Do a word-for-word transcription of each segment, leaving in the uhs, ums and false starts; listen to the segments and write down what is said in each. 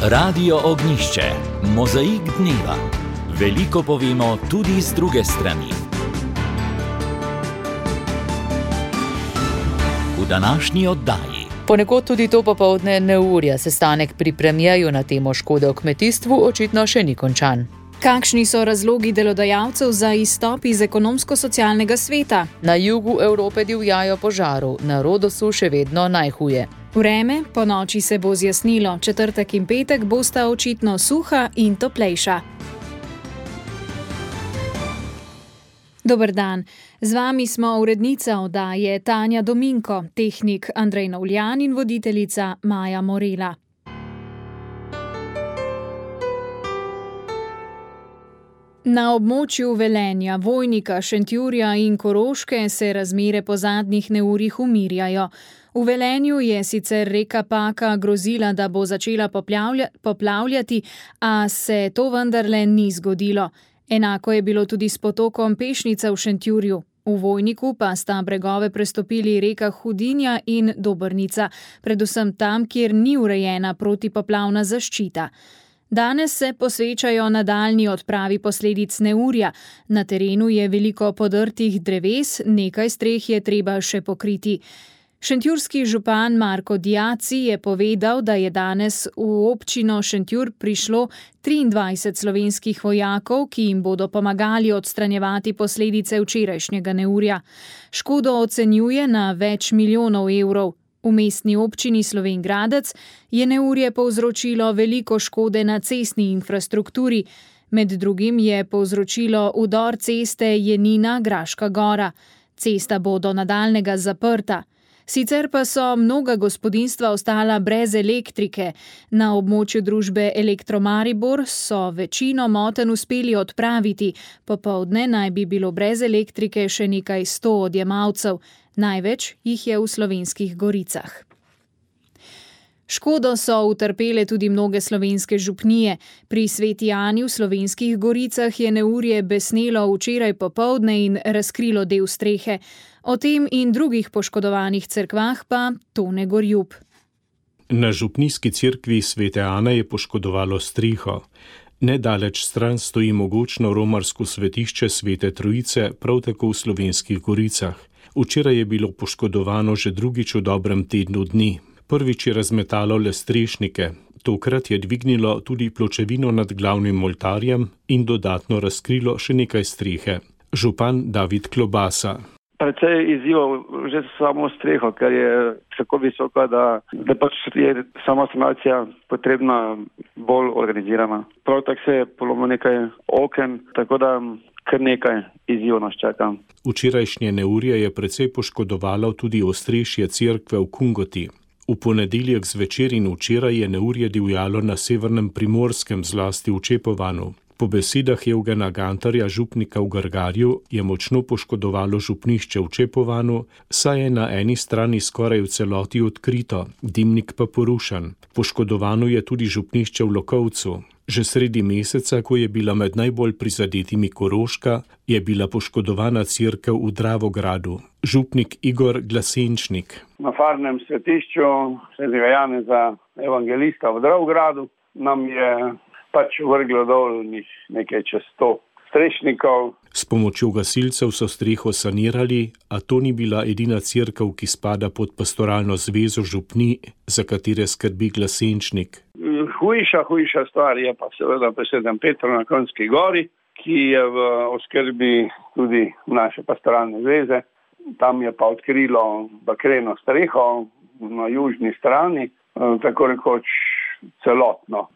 Radio Ognišče, mozaik dneva. Veliko povemo tudi z druge strani. V današnji oddaji. Ponekod tudi to popoldne neurja. Sestanek pri premijeju na temo škode v kmetijstvu očitno še ni končan. Kakšni so razlogi delodajalcev za izstop iz ekonomsko-socialnega sveta? Na jugu Evrope divjajo požaru, na Rodosu še vedno najhuje. Vreme, po noči se bo zjasnilo, četrtek in petek bosta očitno suha in toplejša. Dober dan, z vami smo urednica oddaje Tanja Dominko, tehnik Andrej Novljan in voditeljica Maja Morela. Na območju Velenja, Vojnika, Šentjurja in Koroške se razmere po zadnjih neurjih umirjajo. V Velenju je sicer reka Paka grozila, da bo začela poplavlja, poplavljati, a se to vendarle ni zgodilo. Enako je bilo tudi s potokom Pešnica v Šentjurju. V Vojniku pa sta bregove prestopili reka Hudinja in Dobrnica, predvsem tam, kjer ni urejena protipoplavna zaščita. Danes se posvečajo nadaljnji odpravi posledic neurja. Na terenu je veliko podrtih dreves, nekaj streh je treba še pokriti. Šentjurski župan Marko Diaci je povedal, da je danes v občino Šentjur prišlo triindvajset slovenskih vojakov, ki jim bodo pomagali odstranjevati posledice včerajšnjega neurja. Škodo ocenjuje na več milijonov evrov. V mestni občini Slovenj Gradec je neurje povzročilo veliko škode na cestni infrastrukturi. Med drugim je povzročilo udor ceste Jenina-Graška Gora. Cesta bo do nadaljnega zaprta. Sicer pa so mnoga gospodinjstva ostala brez elektrike. Na območju družbe Elektro Maribor so večino motenj uspeli odpraviti. Popoldne naj bi bilo brez elektrike še nekaj sto odjemalcev. Največ jih je v Slovenskih Goricah. Škodo so utrpele tudi mnoge slovenske župnije. Pri Sveti Ani v Slovenskih Goricah je neurje besnelo včeraj popoldne in razkrilo del strehe. O tem in drugih poškodovanih cerkvah pa Tone Gorjub. Na župnijski cerkvi Svete Ane je poškodovalo streho. Nedaleč stran stoji mogočno romarsko svetišče Svete Trojice, prav tako v Slovenskih Goricah. Včeraj je bilo poškodovano že drugič v dobrem tednu dni. Prvič je razmetalo le strešnike, tokrat je dvignilo tudi pločevino nad glavnim oltarjem in dodatno razkrilo še nekaj strehe. Župan David Klobasa. Precej izzivov že samo streho, ker je tako visoka, da, da pač je sama sanacija potrebna bolj organizirana. Prav tako se je polomilo nekaj oken, tako da kar nekaj izzivov nas čaka. Včerajšnje neurje je precej poškodovalo tudi ostrešje cerkve v Kungoti. V ponedeljek zvečer in včeraj je neurje divjalo na severnem Primorskem, zlasti v Čepovanu. Po besedah Evgena Gantarja, župnika v Grgarju, je močno poškodovalo župnišče v Čepovanu, saj je na eni strani skoraj v celoti odkrito, dimnik pa porušen. Poškodovano je tudi župnišče v Lokovcu. Že sredi meseca, ko je bila med najbolj prizadetimi Koroška, je bila poškodovana cerkev v Dravogradu. Župnik Igor Glasenčnik. Na farnem svetišču svetega Janeza Evangelista v Dravogradu nam je pač vrglo dol nekaj čez sto strešnikov. S pomočjo gasilcev so streho sanirali, a to ni bila edina cerkev, ki spada pod pastoralno zvezo župni, za katere skrbi Glasenčnik. Hujša, hujša stvar je pa seveda pri Svetem Petru na Kronjski gori, ki je v oskrbi tudi naše pastoralne zveze. Tam je pa odkrilo bakreno streho na južni strani, tako rekoč celotno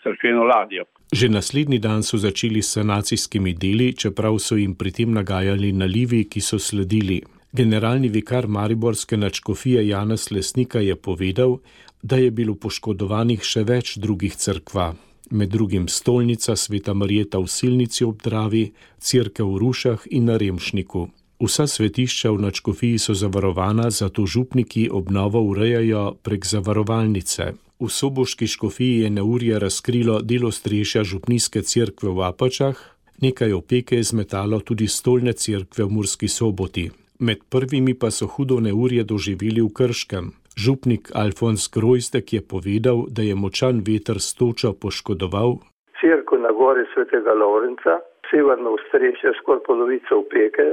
cerkveno ladjo. Že naslednji dan so začeli s sanacijskimi deli, čeprav so jim pri tem nagajali nalivi, ki so sledili. Generalni vikar mariborske nadškofije Janez Lesnika je povedal, da je bilo poškodovanih še več drugih cerkva. Med drugim stolnica Sveta Marjeta v Silnici ob Dravi, cerkev v Rušah in na Remšniku. Vsa svetišča v nadškofiji so zavarovana, zato župniki obnovo urejajo prek zavarovalnice. V soboški škofiji je neurje razkrilo del ostrešja župnijske cerkve v Apačah, nekaj opeke je zmetalo tudi stolne cerkve v Murski Soboti. Med prvimi pa so hudo neurje doživeli v Krškem. Župnik Alfons Grojzdek je povedal, da je močan veter s točo poškodoval cerkev na gori Svetega Lovrenca, severno ostrešje, skoraj polovico opeke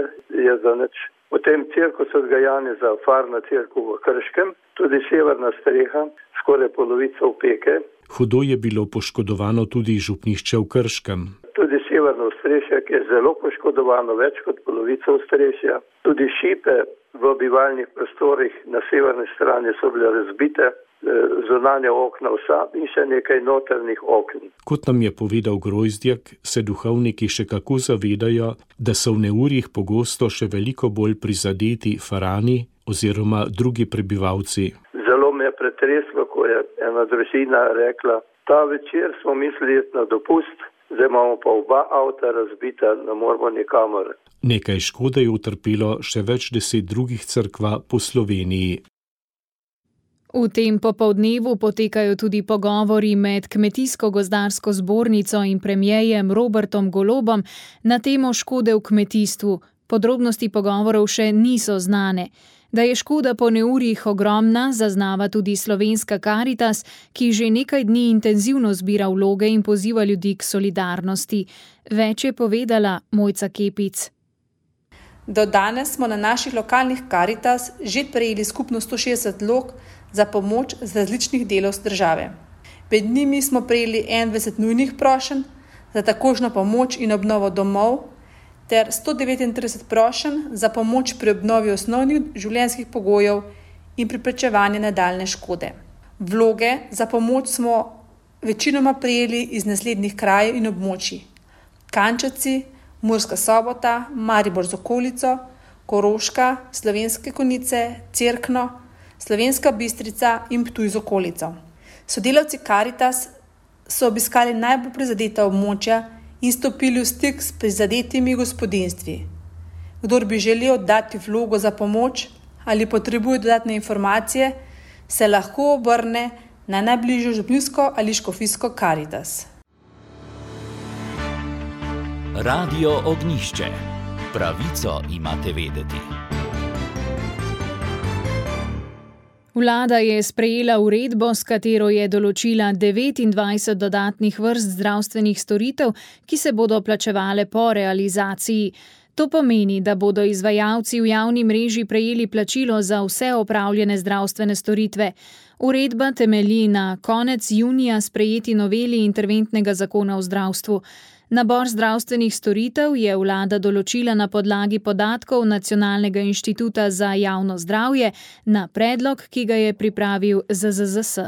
je zanič. Potem cerkev Svetega Janeza, farna cerkev v Krškem, tudi severna streha, skoraj polovica opeke. Hudo je bilo poškodovano tudi župnišče v Krškem. Tudi severno ostrešje, ki je zelo poškodovano, več kot polovica ostrešja. Tudi šipe v bivalnih prostorih na severni strani so bile razbite, zunanja okna vsa in še nekaj notrnih okn. Kot nam je povedal Grojzdjak, se duhovniki še kako zavedajo, da so v neurjih pogosto še veliko bolj prizadeti farani oziroma drugi prebivalci. Zelo me je pretreslo, ko je ena družina rekla, ta večer smo mislili iti na dopust, zdaj imamo pa oba avta razbita, ne moramo nikamor. Nekaj škode je utrpelo še več deset drugih cerkva po Sloveniji. V tem popoldnevu potekajo tudi pogovori med Kmetijsko-gozdarsko zbornico in premierjem Robertom Golobom na temo škode v kmetijstvu. Podrobnosti pogovorov še niso znane. Da je škoda po neurjih ogromna, zaznava tudi Slovenska Karitas, ki že nekaj dni intenzivno zbira vloge in poziva ljudi k solidarnosti. Več je povedala Mojca Kepic. Do danes smo na naših lokalnih Karitas že prejeli skupno sto šestdeset vlog za pomoč z različnih delov države. Med njimi smo prejeli enaindvajset nujnih prošenj za takožno pomoč in obnovo domov ter sto devetintrideset prošenj za pomoč pri obnovi osnovnih življenjskih pogojev in preprečevanje nadaljnje škode. Vloge za pomoč smo večinoma prejeli iz naslednjih krajev in območij: Kančevci, Murska Sobota, Maribor z okolico, Koroška, Slovenske Konjice, Cerkno, Slovenska Bistrica in Ptuj z okolico. Sodelavci Karitas so obiskali najbolj prizadeta območja in stopili v stik s prizadetimi gospodinjstvi. Kdor bi želel dati vlogo za pomoč ali potrebuje dodatne informacije, se lahko obrne na najbližjo župnijsko ali škofijsko Karitas. Radio Ognjišče. Pravico imate vedeti. Vlada je sprejela uredbo, s katero je določila devetindvajset dodatnih vrst zdravstvenih storitev, ki se bodo plačevale po realizaciji. To pomeni, da bodo izvajalci v javni mreži prejeli plačilo za vse opravljene zdravstvene storitve. Uredba temelji na konec junija sprejeti noveli interventnega zakona o zdravstvu. Nabor zdravstvenih storitev je vlada določila na podlagi podatkov Nacionalnega inštituta za javno zdravje na predlog, ki ga je pripravil Z Z Z S.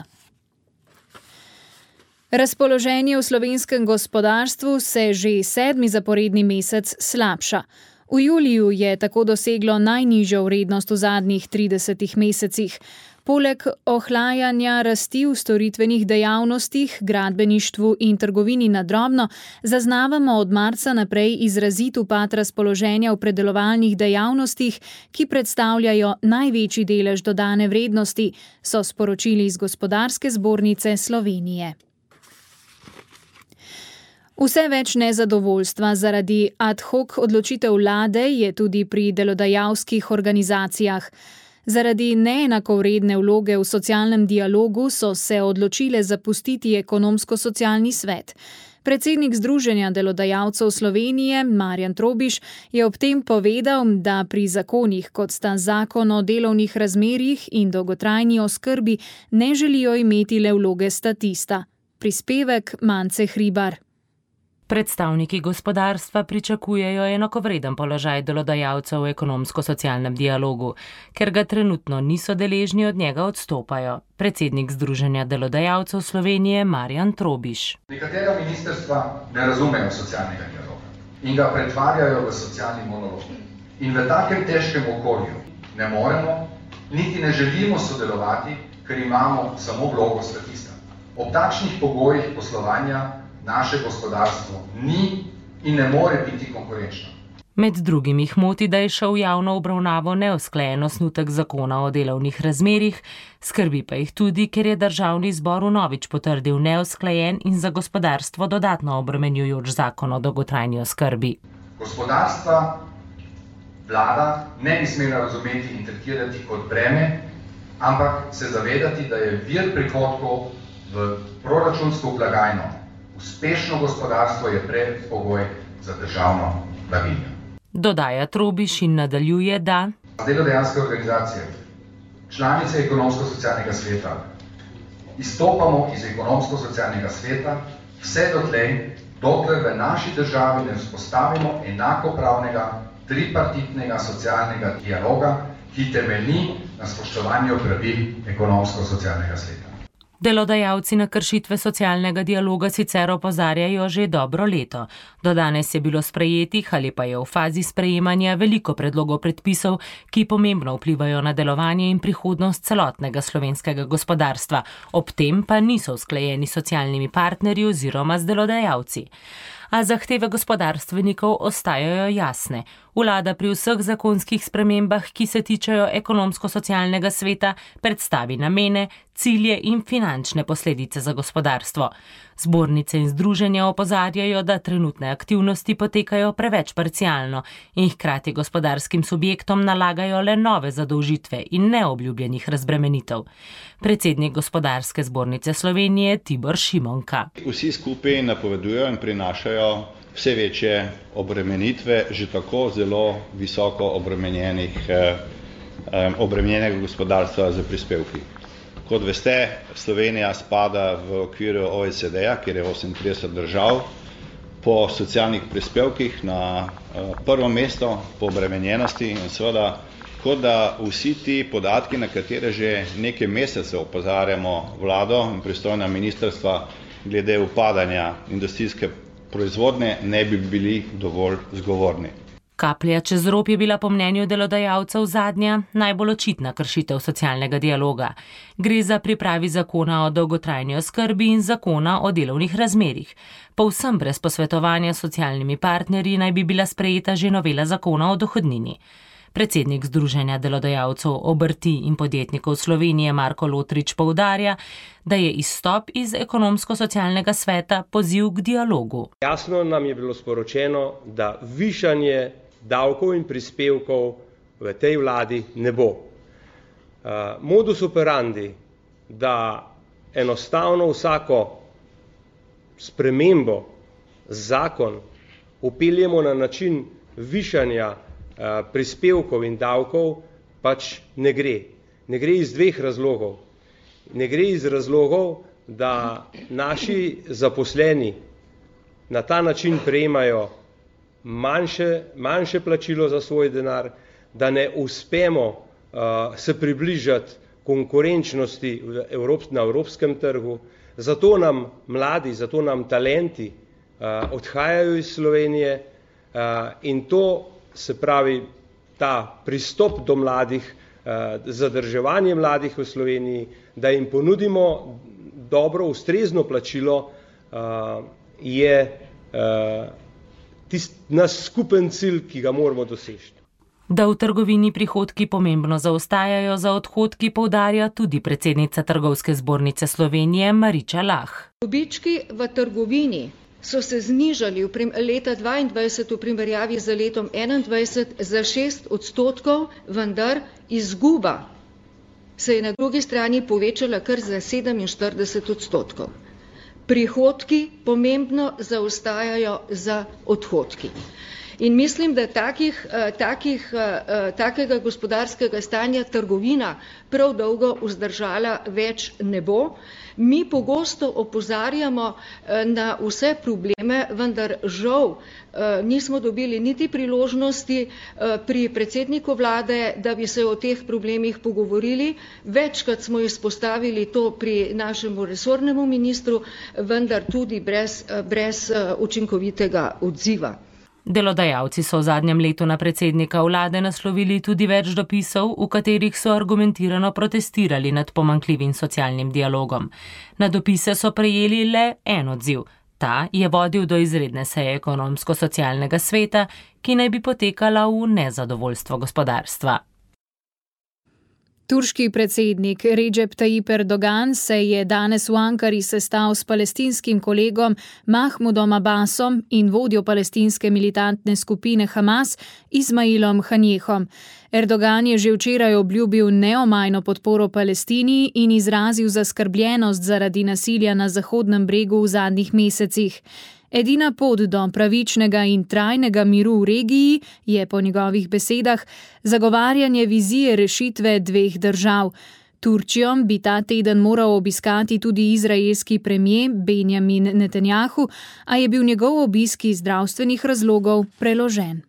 Razpoloženje v slovenskem gospodarstvu se že sedmi zaporedni mesec slabša. V juliju je tako doseglo najnižjo vrednost v zadnjih tridesetih mesecih. Poleg ohlajanja rasti v storitvenih dejavnostih, gradbeništvu in trgovini na drobno, zaznavamo od marca naprej izrazit upad razpoloženja v predelovalnih dejavnostih, ki predstavljajo največji delež dodane vrednosti, so sporočili iz Gospodarske zbornice Slovenije. Vse več nezadovoljstva zaradi ad hoc odločitev vlade je tudi pri delodajalskih organizacijah. Zaradi neenakovredne vloge v socialnem dialogu so se odločile zapustiti ekonomsko-socialni svet. Predsednik Združenja delodajalcev Slovenije Marjan Trobiš je ob tem povedal, da pri zakonih, kot sta zakon o delovnih razmerjih in dolgotrajni oskrbi, ne želijo imeti le vloge statista. Prispevek Mance Hribar. Predstavniki gospodarstva pričakujejo enakovreden položaj delodajalcev v ekonomsko-socialnem dialogu, ker ga trenutno niso deležni, od njega odstopajo. Predsednik Združenja delodajalcev Slovenije Marjan Trobiš. Nekatera ministrstva ne razumejo socialnega dialoga in ga pretvarjajo v socialni monolog. In v takem težkem okolju ne moremo, niti ne želimo sodelovati, ker imamo samo vlogo statista. Ob takšnih pogojih poslovanja naše gospodarstvo ni in ne more biti konkurenčno. Med drugim jih moti, da je šel v javno obravnavo neusklajen osnutek zakona o delovnih razmerjih, skrbi pa jih tudi, ker je državni zbor vnovič potrdil neusklajen in za gospodarstvo dodatno obremenjujoč zakon o dolgotrajni oskrbi. Gospodarstva vlada ne bi smela razumeti in tretirati kot breme, ampak se zavedati, da je vir prihodkov v proračunsko blagajno. Uspešno gospodarstvo je predpogoj za državno blaginjo. Dodaja Trobiš in nadaljuje, da delodajalske organizacije, članice ekonomsko-socialnega sveta, izstopamo iz ekonomsko-socialnega sveta vse dotlej, dokler v naši državi ne vzpostavimo enakopravnega tripartitnega socialnega dialoga, ki temelji na spoštovanju pravil ekonomsko-socialnega sveta. Delodajalci na kršitve socialnega dialoga sicer opozarjajo že dobro leto. Do danes je bilo sprejetih ali pa je v fazi sprejemanja veliko predlogov predpisov, ki pomembno vplivajo na delovanje in prihodnost celotnega slovenskega gospodarstva, ob tem pa niso usklajeni s socialnimi partnerji oziroma z delodajalci. A zahteve gospodarstvenikov ostajajo jasne. Vlada pri vseh zakonskih spremembah, ki se tičejo ekonomsko-socialnega sveta, predstavi namene, cilje in finančne posledice za gospodarstvo. Zbornice in združenja opozarjajo, da trenutne aktivnosti potekajo preveč parcialno in hkrati gospodarskim subjektom nalagajo le nove zadolžitve in neobljubljenih razbremenitev. Predsednik Gospodarske zbornice Slovenije Tibor Šimonka. Vsi skupaj napovedujejo in prinašajo vse večje obremenitve že tako zelo visoko obremenjenih, eh, obremenjenega gospodarstva za prispevki. Kot veste, Slovenija spada v okviru O E C D-ja, kjer je osemintrideset držav, po socialnih prispevkih na eh, prvo mesto po obremenjenosti in seveda, kot da vsi ti podatki, na katere že nekaj mesecev opozarjamo vlado in pristojna ministrstva glede upadanja industrijske proizvodnje, ne bi bili dovolj zgovorni. Kaplja čez rob je bila po mnenju delodajalcev zadnja, najbolj očitna kršitev socialnega dialoga. Gre za pripravi zakona o dolgotrajni oskrbi in zakona o delovnih razmerjih. Povsem brez posvetovanja s socialnimi partnerji naj bi bila sprejeta že novela zakona o dohodnini. Predsednik Združenja delodajalcev obrti in podjetnikov Slovenije Marko Lotrič poudarja, da je izstop iz ekonomsko-socialnega sveta poziv k dialogu. Jasno nam je bilo sporočeno, da višanje davkov in prispevkov v tej vladi ne bo. Uh, modus operandi, da enostavno vsako spremembo, zakon upeljemo na način višanja uh, prispevkov in davkov, pač ne gre. Ne gre iz dveh razlogov. Ne gre iz razlogov, da naši zaposleni na ta način prejemajo manjše, manjše plačilo za svoj denar, da ne uspemo uh, se približati konkurenčnosti v Evrop, na evropskem trgu. Zato nam mladi, zato nam talenti uh, odhajajo iz Slovenije uh, in to, se pravi, ta pristop do mladih, uh, zadrževanje mladih v Sloveniji, da jim ponudimo dobro, ustrezno plačilo, uh, je uh, tist, naš skupen cilj, ki ga moramo doseči. Da v trgovini prihodki pomembno zaostajajo za odhodki, poudarja tudi predsednica Trgovske zbornice Slovenije Mariča Lah. Dobički v trgovini so se znižali v prim, leta dvaindvajset v primerjavi z letom enaindvajset za šest odstotkov, vendar izguba se je na drugi strani povečala kar za sedeminštirideset odstotkov. Prihodki pomembno zaostajajo za odhodki. In mislim, da takih, takih, takega gospodarskega stanja trgovina prav dolgo vzdržala več ne bo. Mi pogosto opozarjamo na vse probleme, vendar žal nismo dobili niti priložnosti pri predsedniku vlade, da bi se o teh problemih pogovorili. Večkrat smo izpostavili to pri našemu resornemu ministru, vendar tudi brez, brez učinkovitega odziva. Delodajalci so v zadnjem letu na predsednika vlade naslovili tudi več dopisov, v katerih so argumentirano protestirali nad pomanjkljivim socialnim dialogom. Na dopise so prejeli le en odziv. Ta je vodil do izredne seje ekonomsko-socialnega sveta, ki naj bi potekala v nezadovoljstvo gospodarstva. Turški predsednik Recep Tayyip Erdogan se je danes v Ankari sestal s palestinskim kolegom Mahmudom Abbasom in vodjo palestinske militantne skupine Hamas Ismailom Hanijehom. Erdogan je že včeraj obljubil neomajno podporo Palestini in izrazil zaskrbljenost zaradi nasilja na Zahodnem bregu v zadnjih mesecih. Edina pot do pravičnega in trajnega miru v regiji je po njegovih besedah zagovarjanje vizije rešitve dveh držav. Turčijo bi ta teden moral obiskati tudi izraelski premier Benjamin Netanjahu, a je bil njegov obisk iz zdravstvenih razlogov preložen.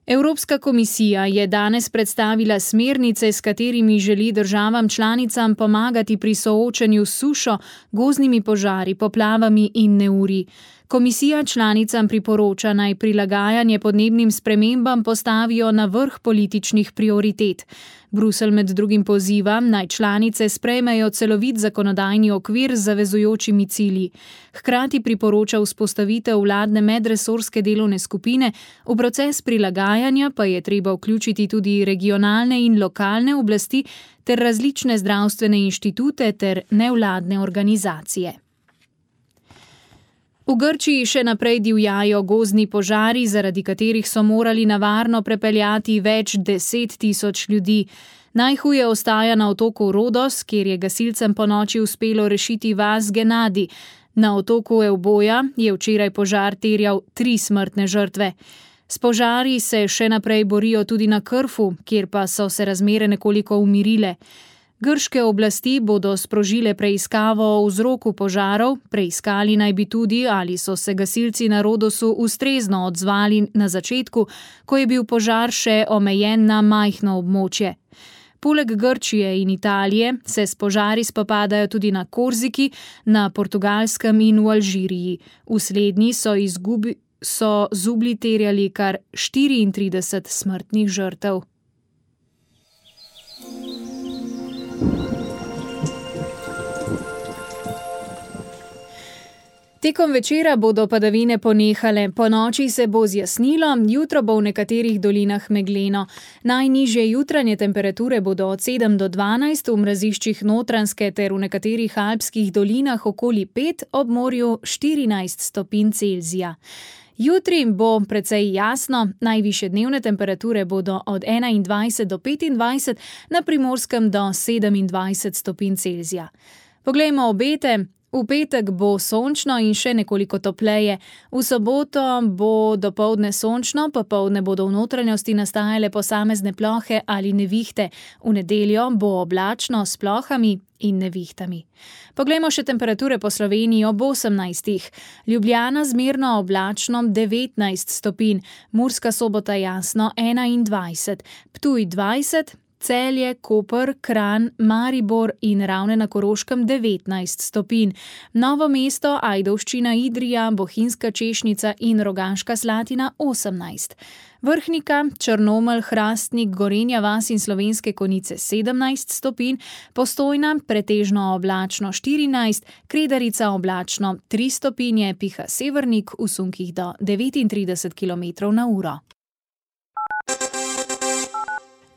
Evropska komisija je danes predstavila smernice, s katerimi želi državam članicam pomagati pri soočanju s sušo, gozdnimi požari, poplavami in neurji. Komisija članicam priporoča, naj prilagajanje podnebnim spremembam postavijo na vrh političnih prioritet. Bruselj med drugim poziva, naj članice sprejmejo celovit zakonodajni okvir z zavezujočimi cilji. Hkrati priporoča vzpostavitev vladne medresorske delovne skupine, v proces prilagajanja pa je treba vključiti tudi regionalne in lokalne oblasti ter različne zdravstvene inštitute ter nevladne organizacije. V Grčiji še naprej divjajo gozdni požari, zaradi katerih so morali na varno prepeljati več deset tisoč ljudi. Najhuje ostaja na otoku Rodos, kjer je gasilcem ponoči uspelo rešiti vas Genadi. Na otoku Euboja je včeraj požar terjal tri smrtne žrtve. S požari se še naprej borijo tudi na Krfu, kjer pa so se razmere nekoliko umirile. Grške oblasti bodo sprožile preiskavo o vzroku požarov, preiskali naj bi tudi, ali so se gasilci na Rodosu ustrezno odzvali na začetku, ko je bil požar še omejen na majhno območje. Poleg Grčije in Italije se s požari spopadajo tudi na Korziki, na Portugalskem in v Alžiriji. V slednji so, izgubi, so zublji terjali kar štiriintrideset smrtnih žrtev. Tekom večera bodo padavine ponehale, ponoči se bo zjasnilo, jutro bo v nekaterih dolinah megleno. Najnižje jutranje temperature bodo od sedem do dvanajst, v mraziščih Notranjske ter v nekaterih alpskih dolinah okoli pet, ob morju štirinajst stopinj Celzija. Jutri bo precej jasno, najvišje dnevne temperature bodo od enaindvajset do petindvajset, na Primorskem do sedemindvajset stopinj Celzija. Poglejmo obete. V petek bo sončno in še nekoliko topleje. V soboto bo dopoldne sončno, popoldne bodo v notranjosti nastajale posamezne plohe ali nevihte. V nedeljo bo oblačno s plohami in nevihtami. Poglejmo še temperature po Sloveniji ob osemnajstih. Ljubljana zmerno oblačno devetnajst stopinj, Murska Sobota jasno enaindvajset, Ptuj dvajset, Celje, Koper, Kranj, Maribor in Ravne na Koroškem devetnajst stopinj. Novo mesto, Ajdovščina, Idrija, Bohinjska Češnica in Rogaška Slatina osemnajst. Vrhnika, Črnomelj, Hrastnik, Gorenja vas in Slovenske Konjice sedemnajst stopinj, Postojna pretežno oblačno štirinajst, Kredarica oblačno tri stopinje, piha severnik v sunkih do devetintrideset kilometrov na uro.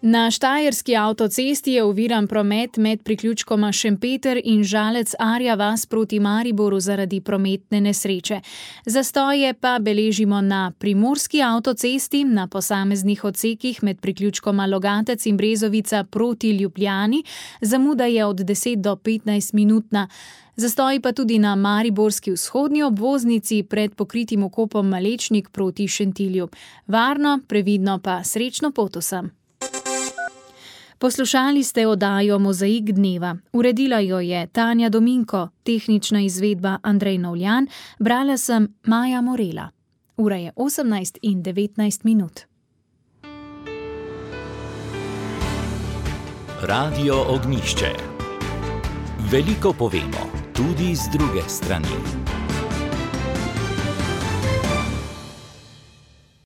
Na štajerski avtocesti je oviran promet med priključkoma Šempeter in Žalec-Arja vas proti Mariboru zaradi prometne nesreče. Zastoje pa beležimo na primorski avtocesti, na posameznih odsekih med priključkoma Logatec in Brezovica proti Ljubljani, zamuda je od deset do petnajst minutna. Zastoji pa tudi na mariborski vzhodni obvoznici pred pokritim okopom Malečnik proti Šentilju. Varno, previdno pa srečno pot vsem. Poslušali ste oddajo Mozaik dneva. Uredila jo je Tanja Dominko, tehnična izvedba Andrej Novljan, brala sem Maja Morela. Ura je osemnajst in devetnajst minut. Radio Ognjišče. Veliko povemo, tudi z druge strani.